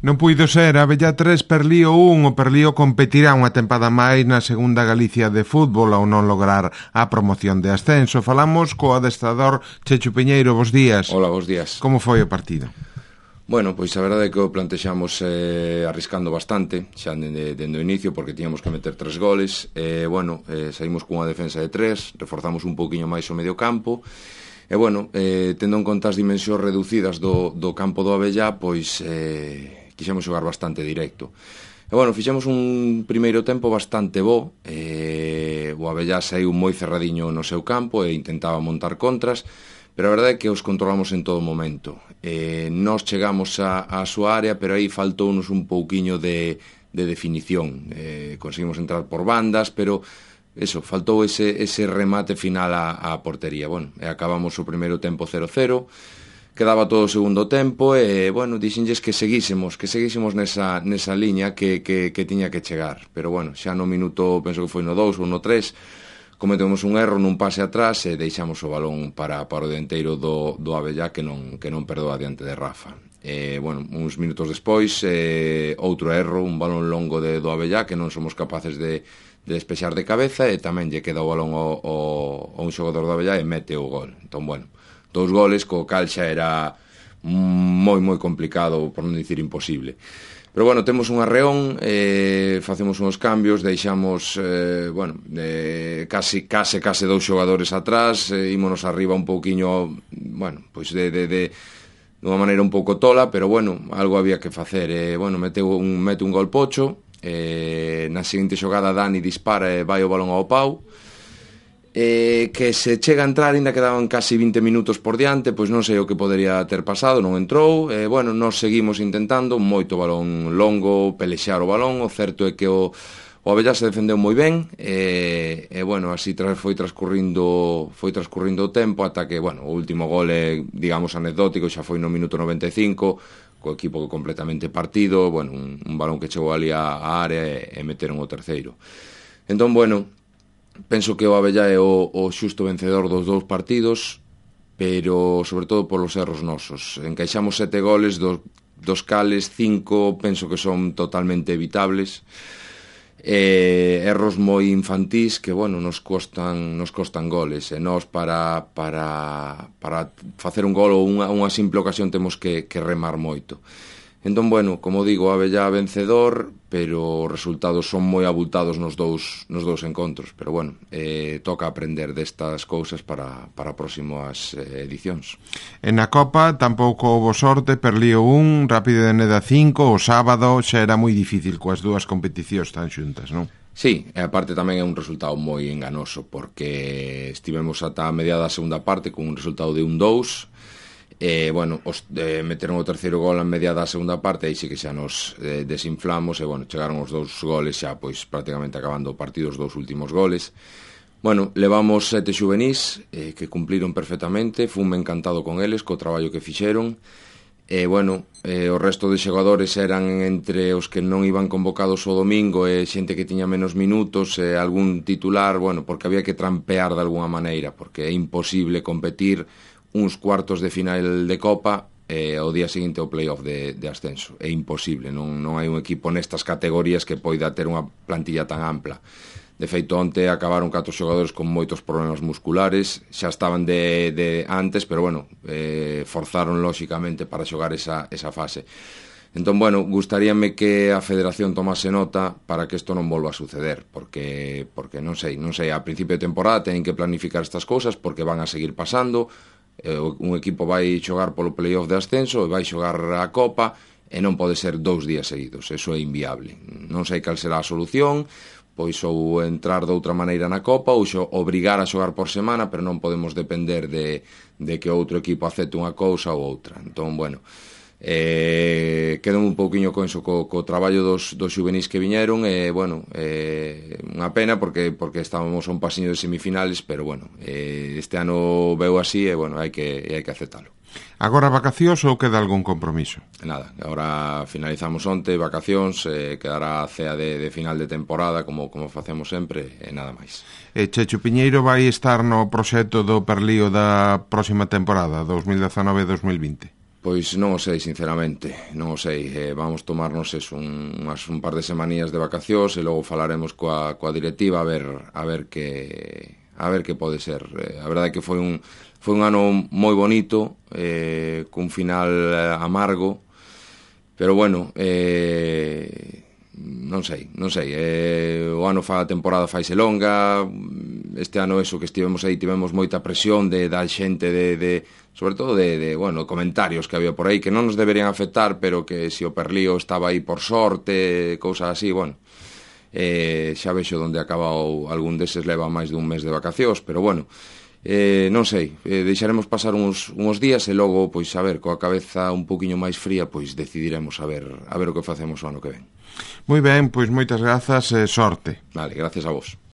Non puido ser, Abellá 3, Perlío 1. O Perlío competirá unha tempada máis na segunda Galicia de fútbol ao non lograr a promoción de ascenso. Falamos co adestrador Chechu Piñeiro, bos días. Hola, bos días. Como foi o partido? Bueno, pois a verdade é que o plantexamos arriscando bastante xa dende o inicio, porque tiñamos que meter 3 goles. Saímos cunha defensa de 3, reforzamos un pouquiño máis o medio campo. E bueno, tendo en conta as dimensións reducidas do campo do Abellá, pois quixemos xogar bastante directo. E bueno, fixemos un primeiro tempo bastante bo. O Abellá saiu moi cerradiño no seu campo e intentaba montar contras, pero a verdade é que os controlamos en todo momento. Nós chegamos á súa área, pero aí faltounos un pouquiño de definición. Conseguimos entrar por bandas, pero eso, faltou ese remate final á portería. Bueno, e acabamos o primeiro tempo 0-0, quedaba todo o segundo tempo e, bueno, dixenlles que seguísemos nesa liña que tiña que chegar. Pero, bueno, xa no minuto, penso que foi no 2 ou no 3, cometemos un erro nun pase atrás e deixamos o balón para o dianteiro do Abellá que non perdoa diante de Rafa. Uns minutos despois, outro erro, un balón longo do Abellá que non somos capaces de despexar de cabeza e tamén lle queda o balón ao un xogador do Abellá e mete o gol. Entón, bueno, 2 goles, co cal xa era moi complicado, por non dicir imposible. Pero bueno, temos un arreón, facemos uns cambios, deixamos case 2 xogadores atrás, ímonos arriba un pouquiño, bueno, pois de unha maneira un pouco tola, pero bueno, algo había que facer. Mete un gol Pocho, na seguinte xogada Dani dispara e vai o balón ao pau, que se chega a entrar, ainda quedaban casi 20 minutos por diante, pois non sei o que podería ter pasado, non entrou. Nos seguimos intentando, moito balón longo, pelexar o balón. O certo é que o Abellá se defendeu moi ben, así foi transcurrindo o tempo ata que, o último gol é, digamos, anecdótico, xa foi no minuto 95, co equipo completamente partido, un balón que chegou ali á área e meteron o terceiro. Entón, penso que o Abellá é o xusto vencedor dos 2 partidos, pero sobre todo polos erros nosos. Encaixamos 7 goles, dos cales 5 penso que son totalmente evitables. Erros moi infantís que, nos costan goles. E nós para facer un gol ou unha simple ocasión temos que remar moito. Entón, como digo, Abellá vencedor, pero os resultados son moi abultados nos dous encontros. Pero, toca aprender destas cousas para próximas edicións. E na Copa tampouco houbo sorte, Perlío 1, Rápido de Neda 5, o sábado xa era moi difícil coas dúas competicións tan xuntas, non? Sí, e aparte tamén é un resultado moi enganoso, porque estivemos ata a mediada da segunda parte con un resultado de 1-2, meteron o terceiro gol a media da segunda parte, aí sí que xa nos desinflamos, e chegaron os 2 goles xa pois prácticamente acabando o partido, os 2 últimos goles. Levamos 7 xuvenís que cumpliron perfectamente, funme encantado con eles, co traballo que fixeron. O resto de xogadores eran entre os que non iban convocados o domingo e xente que tiña menos minutos e algún titular, porque había que trampear de alguna maneira, porque é imposible competir uns cuartos de final de Copa o día seguinte o playoff de ascenso. É imposible, non hai un equipo nestas categorías que poida ter unha plantilla tan ampla. De feito, onte acabaron 4 xogadores con moitos problemas musculares, xa estaban de antes, pero forzaron lóxicamente para xogar esa fase. Entón, gustaríame que a Federación tomase nota para que isto non volva a suceder, porque non sei, a principio de temporada teñen que planificar estas cousas porque van a seguir pasando. Un equipo vai xogar polo playoff de ascenso e vai xogar a Copa e non pode ser 2 días seguidos, eso é inviable. Non sei cal será a solución, pois ou entrar de outra maneira na Copa ou obrigar a xogar por semana, pero non podemos depender de que outro equipo acepte unha cousa ou outra. Entón, quedo un pouquiño con eso, co traballo dos xuvenís que viñeron, unha pena porque estábamos a un pasiño de semifinales, pero este ano veu así e hai que aceptalo. Agora vacacións ou queda algún compromiso? Nada, agora finalizamos onte, vacacións, quedará a cea de final de temporada como facemos sempre e nada máis. E Chechu Piñeiro vai estar no proxecto do Perlío da próxima temporada, 2019-2020? Pois non o sei, sinceramente, non o sei. Vamos tomarnos un par de semanías de vacacións e logo falaremos coa directiva a ver que pode ser. A verdade é que foi un ano moi bonito, cun final amargo, pero bueno, non sei. O ano a temporada faise longa, este ano eso que estivemos aí tivemos moita presión da xente sobre todo de comentarios que había por aí que non nos deberían afectar, pero que se o Perlío estaba aí por sorte, cousas así, xa vexo onde acabou, algún deses leva máis dun mes de vacacións, pero non sei, deixaremos pasar uns días e logo, pois a ver, coa cabeza un poquinho máis fría, pois decidiremos a ver o que facemos o ano que ven. Moi ben, pois moitas grazas e sorte. Vale, gracias a vos.